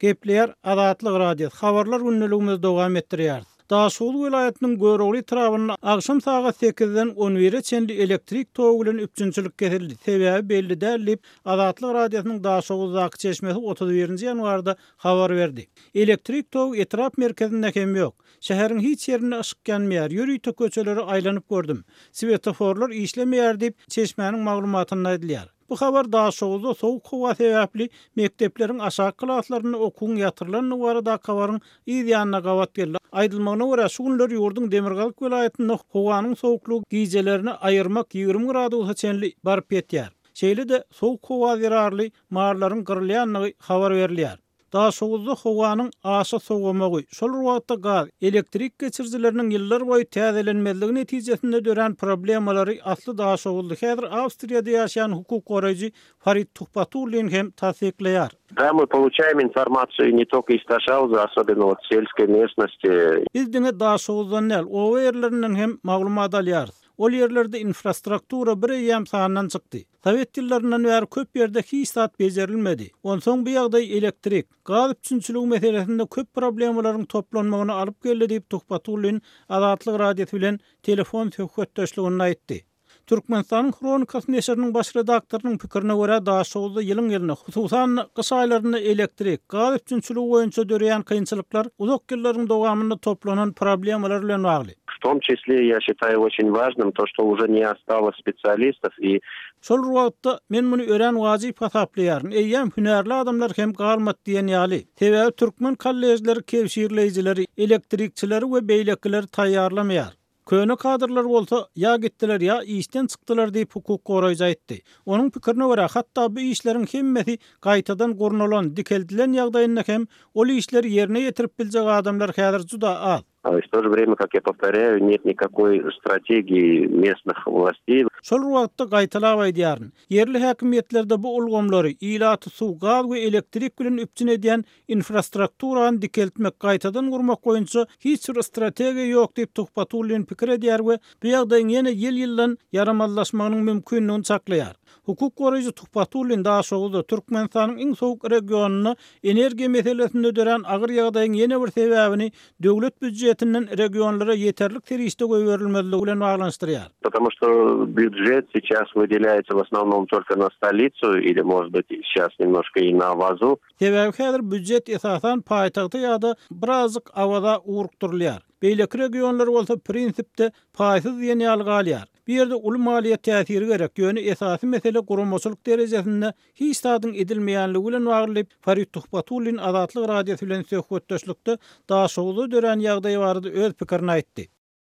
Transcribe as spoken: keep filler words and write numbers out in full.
Gepleýär Azatlyk Radiosy. Habarlar gündeligimizi dowam etdirýäris. Daşoguz welaýatynyň Görogly etrabynda agşam sagat sekizden on bire çenli elektrik togy bilen üpjünçilik kesildi. Sebäbi belli däl diýip, Azatlyk Radiosynyň Daşoguzdaky çeşmesi otuz birinji ýanwarda habar berdi. Elektrik togy etrap merkezinde hem ýok. Şäheriň hiç ýerinde yşyk ýanmaýar, ýörite köçeleri aýlanyp gördüm. Svetoforlar işlemeýär diýip, çeşmäniň maglumatynda aýdylýar. Bu habar Daşoguzda sowuk howa sebäpli mekdepleriň aşaky klaslarynda okuwyň ýatyrylandygy baradaky habaryň yz ýanyna gabat geldi. Aýdylmagyna görä, şu günler ýurduň Demirgazyk welaýatynda howanyň sowuklygy gijelerini aýyrmak ýigrimi gradusa çenli baryp ýetýär. Şeýle-de sowuk howa zerarly mallaryň gyrylýandygy habar berilýär. Daşoguzda howanyň aşa sowamagy, şol bir wagtda gaz, elektrik geçirijileriniň ýyllar boýy täzelenmezligi netijesinde dörän problemalary asly Daşoguzda häzir Awstriýada ýaşaýan hukuk goraýjy Farid Tuhbatullin hem tassyklaýar. Да, мы получаем информацию не только из Ташауза, особенно вот сельской местности. Biz diňe Daşoguzdan däl, oba ýerlerinden hem maglumat alýarys. Ol ýerlerde infrastruktura bir eýýäm sandan çykdy. Sowet ýyllaryndan bäri köp ýerde hiç zat bejerilmedi. Onsoň bu ýagdaý elektrik, gaz üpjünçiligi meselesinde köp problemalaryň toplanmagyna alyp geldi diýip Tuhbatullin Azatlyk Radiosy bilen telefon söhbetdeşliginde aýtdy. Türkmenistanyň Hronikasy neşiriniň baş redaktorynyň pikirine görä Daşoguzda ýylyň ýylyna, hususan gyş aýlarynda elektrik, gaz üpjünçiligi boýunça döreýän kynçylyklar uzak ýyllaryň dowamynda toplanan problemalar bilen bagly. В том числе я считаю очень важным то, что уже не осталось специалистов и Şol wagtda men muny örän wajyp hasaplaýaryn. Eýýäm hünärli adamlar hem galmady diýen ýaly. Sebäbi türkmen kollejleri kewşirleýjileri, elektrikçileri we beýlekileri taýýarlamaýar. Köne kadrlar bolsa ýa gitdiler ýa işden çykdylar diýip hukuk goraýjy aýtdy. Onuň pikirine görä hatda bu işleriň hemmesi gaýtadan gurnalan, dikeldilen ýagdaýynda hem ol işleri ýerine ýetirip biljek adamlar häzir juda az. А в то же время, как я повторяю, нет никакой стратегии местных властей. Şol wagtda gaýtalap aýdýaryn. Ýerli häkimiýetlerde bu ulgamlary ilaty suw, gaz we elektrik bilen üpjün edýän infrastrukturany dikeltmek, gaýtadan gurmak boýunça hiç bir strategiýa ýok diýip Tuhbatullin pikir edýär we bu ýagdaýyň ýene ýyl-ýyldan ýaramazlaşmagynyň mümkinligini çaklaýar. Hukuk goraýjy Tuhbatullin Daşoguzda Türkmenistanyň iň sowuk regionynda energiýa meselesinde dörän agyr ýagdaýyň ýene bir sebäbini döwlet býujetinden regionlara ýeterlik serişde goýberilmezligi bilen baglanyşdyrýar. Потому что бюджет сейчас выделяется в основном только на столицу или, может быть, сейчас немножко и на Авазу. Sebäbi häzir býujet esasan paýtagta ýa-da birazjyk Awaza ugrukdyrylýar. Beýleki regionlar bolsa prinsipde paýsyz diýen ýaly galýar. Bu ýerde uly maliýe täsiri gerek, ýöne esasy mesele guramaçylyk derejesinde hiç zadyň edilmeýänligi bilen bagly Farid Tuhbatullin Azatlyk Radiosy bilen söhbetdeşlikde Daşoguzda dörän ýagdaý barada öz pikirini aýtdy.